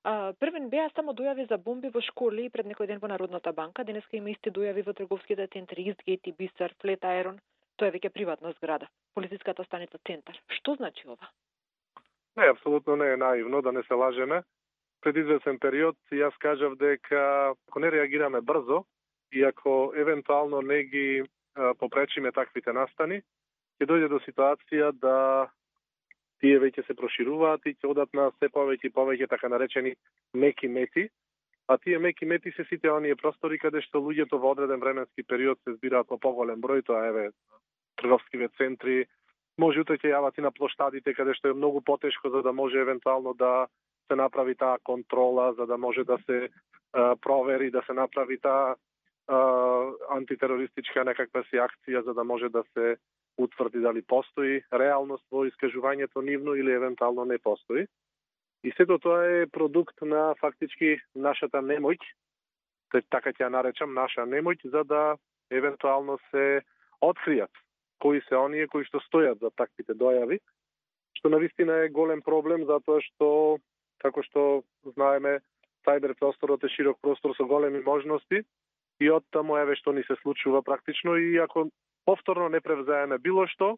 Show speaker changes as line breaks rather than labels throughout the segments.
Првен беа само дојави за бомби во школи и пред некој ден во Народната банка, денеска има исти дојави во трговските центри Истгейт и Бисер, Флет Аерон. Тоа е веќе приватна зграда, полициската станица Центар. Што значи ова?
Не, апсолутно не е наивно, да не се лажеме. Пред известен период јас кажав дека ако не реагираме брзо и ако евентуално не ги попречиме таквите настани, ќе дојде до ситуација да тие веќе се прошируваат и ќе одат на се повеќе и повеќе така наречени меки мети, а тие меки мети се сите оние простори каде што луѓето во одреден временски период се збираат во поголем број, тоа еве трговскиве центри, може утре ќе јават и на плоштадите каде што е многу потешко за да може евентуално да се направи таа контрола, за да може да се провери, да се направи таа антитерористичка некаква си акција за да може да се утврди дали постои реалност во искажувањето нивно или евентуално не постои. И сето тоа е продукт на фактички нашата немоќ, така ќе ја наречам, наша немоќ, за да евентуално се откријат кои се оние кои што стојат за таквите дојави, што навистина е голем проблем, затоа што, како што знаеме, сајбер просторот е широк простор со големи можности и оттаму еве што ни се случува практично и ако повторно не превзееме било што,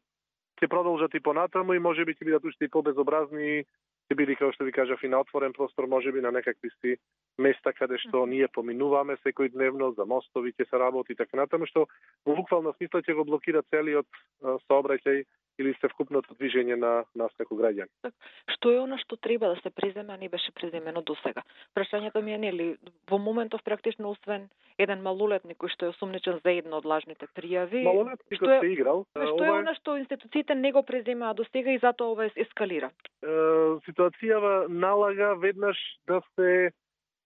ќе продолжат и понатаму и можеби ќе бидат уште и побезобразни, ќе биде, како што ви кажав, и на отворен простор, можеби на некакви си места каде што ние поминуваме секој дневно, за мостови ќе се работи и така натаму, што во буквална смисла ќе го блокира целиот сообраќај или севкупното движење на нас како граѓани.
Што е она што треба да се преземе, а не беше преземено досега? Прашањето ми е, нели, во моментов практично освен еден малолетник кој што е осумничен за една од лажните пријави,
малолетникот се играл.
Што е она што институциите не го преземаа досега и затоа ова ескалира?
Ситуацијава налага веднаш да се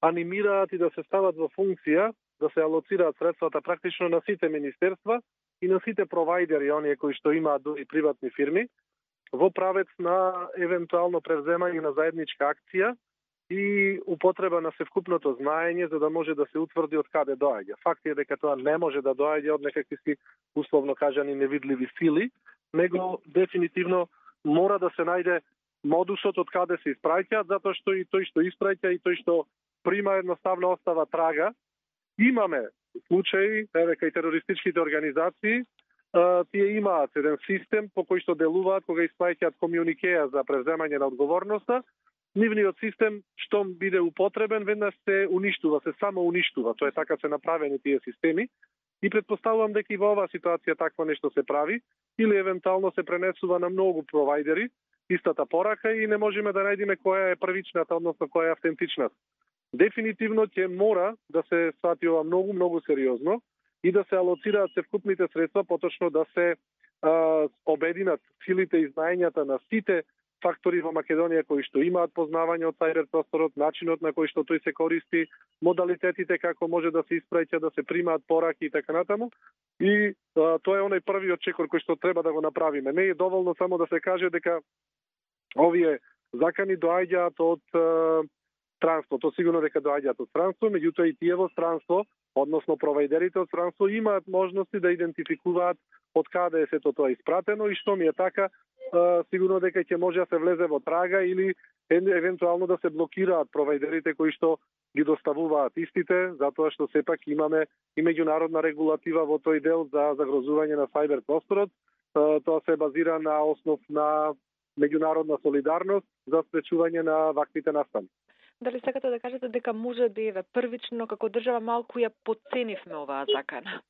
анимираат и да се стават во функција, да се алоцираат средствата практично на сите министерства и на сите провајдери, оние кои што имаат дури приватни фирми, во правец на евентуално превземање на заедничка акција и употреба на севкупното знаење за да може да се утврди од каде доаѓа. Факт е дека тоа не може да доаѓа од некакви си условно кажани невидливи сили, него дефинитивно мора да се најде модусот од каде се испраќаат, затоа што и тој што испраќа и тој што прима едноставно остава трага. Имаме случаи, еве кај терористичките организации, тие имаат еден систем по кој што делуваат кога испраќаат комјуникеа за превземање на одговорноста. Нивниот систем, штом биде употребен, веднаш се уништува, се само уништува. Тоа е така се направени тие системи. И предпоставувам дека и во оваа ситуација такво нешто се прави или евентуално се пренесува на многу провајдери истата порака и не можеме да најдеме која е првичната, односно која е автентичната. Дефинитивно ќе мора да се свати ова многу сериозно и да се алоцираат севкупните средства, поточно да се обединат силите и знаењата на сите фактори во Македонија кои што имаат познавање од сајбер просторот, начинот на кој што тој се користи, модалитетите како може да се испраќа, да се примаат пораки и така натаму. И тоа е оној првиот чекор кој што треба да го направиме. Не е доволно само да се каже дека овие закани доаѓаат од странство. Тоа сигурно дека доаѓаат од странство, меѓутоа и тие во странство, односно провајдерите од странство имаат можности да идентификуваат од каде е сето тоа испратено и што ми е така, сигурно дека ќе може да се влезе во трага или евентуално да се блокираат провајдерите кои што ги доставуваат истите, затоа што сепак имаме и меѓународна регулатива во тој дел за загрозување на сајбер просторот. Тоа се базира на основ на меѓународна солидарност за спречување на ваквите настани.
Дали сакате да кажете дека може би првично како држава малку ја потценивме оваа закана?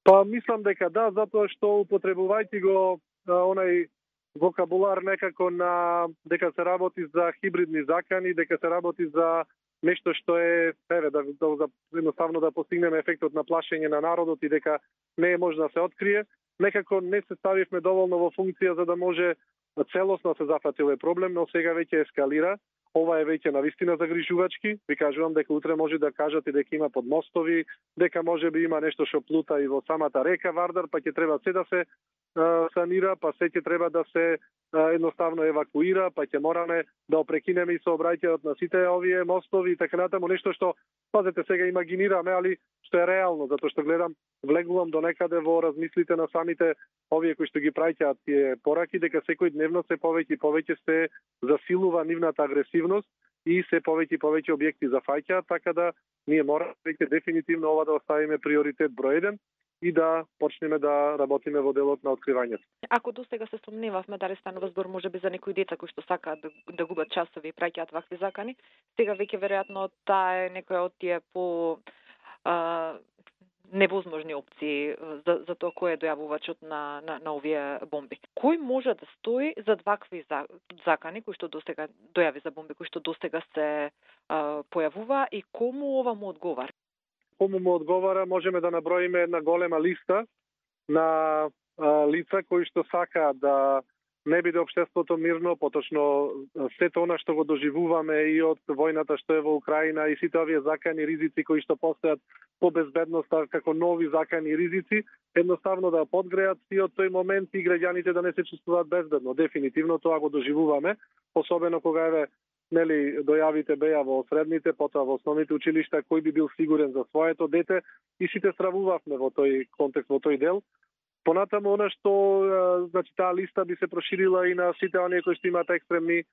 Па мислам дека да, затоа што употребувајќи го онај вокабулар некако на дека се работи за хибридни закани, дека се работи за нешто што е едноставно да постигнеме ефектот на плашење на народот и дека не е можно да се открие, некако не се ставивме доволно во функција за да може целосно се зафати овој проблем, но сега веќе ескалира. Ова е веќе навистина загрижувачки. Ви кажувам дека утре може да кажат и дека има подмостови, дека може би има нешто што плута и во самата река Вардар, па ќе треба се да се санира, па се ќе треба да се едноставно евакуира, па ќе мораме да опрекинеме и сообраќајот на сите овие мостови и така натаму, нешто што, пазете, сега имагинираме, али што е реално, затоа што гледам, влегувам до некаде во размислите на самите овие кои што ги праќаат тие пораки, дека секој дневно се повеќе и повеќе се засилува нивната агресивност и се повеќе и повеќе објекти зафаќаат, така да ние мораме веќе дефинитивно ова да оставиме приоритет број 1 и да почнеме да работиме во делот на откривањето.
Ако досега се сомневавме дали станува збор можеби за некои деца кои што сакаат да губат часови и праќаат вакви закани, сега веќе веројатно таа е некоја од тие по невозможни опции за тоа кој е дојавувачот на овие бомби. Кој може да стои зад вакви закани кои што досега дојави за бомби кои што досега се појавува и кому ова му одговара?
Кому му одговара, можеме да наброиме една голема листа на лица кои што сакаат да не биде општеството мирно, поточно сето она што го доживуваме и од војната што е во Украина и сите овие закани ризици кои што постојат по безбедноста како нови закани ризици, едноставно да подгреат и од тој момент и граѓаните да не се чувствуваат безбедно. Дефинитивно тоа го доживуваме, особено кога дојавите беа во средните, потоа во основните училишта, кој би бил сигурен за своето дете и сите стравувавме во тој контекст, во тој дел. Понатаму она што таа листа би се проширила и на сите оние кои што имаат екстремни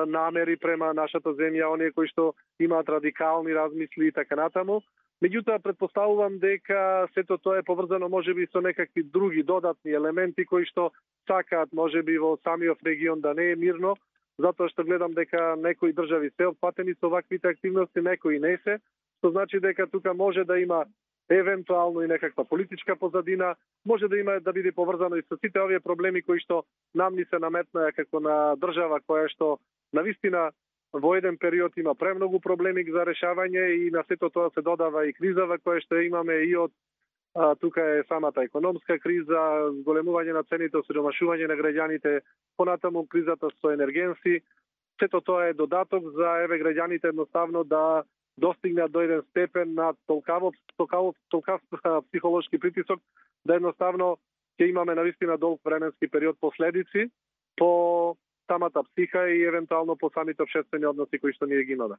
намери према нашата земја, оние кои што имаат радикални размисли и така натаму. Меѓутоа претпоставувам дека сето тоа е поврзано можеби со некакви други додатни елементи кои што сакаат можеби во самиот регион да не е мирно, затоа што гледам дека некои држави се опфатени со ваквите активности, некои не се, што значи дека тука може да има евентуално и некаква политичка позадина, може да има да биде поврзано и со сите овие проблеми кои што нам ни се наметнаа како на држава која што навистина во еден период има премногу проблеми за решавање и на сето тоа се додава и кризава која што имаме и од тука е самата економска криза, зголемување на цените, осиромашување на граѓаните, понатаму кризата со енергенси. Сето тоа е додаток за граѓаните едноставно да достигнат до еден степен на толкав психолошки притисок, да едноставно ќе имаме навистина долг временски период последици по самата психа и евентуално по самите општествени односи кои што ние ги имаме.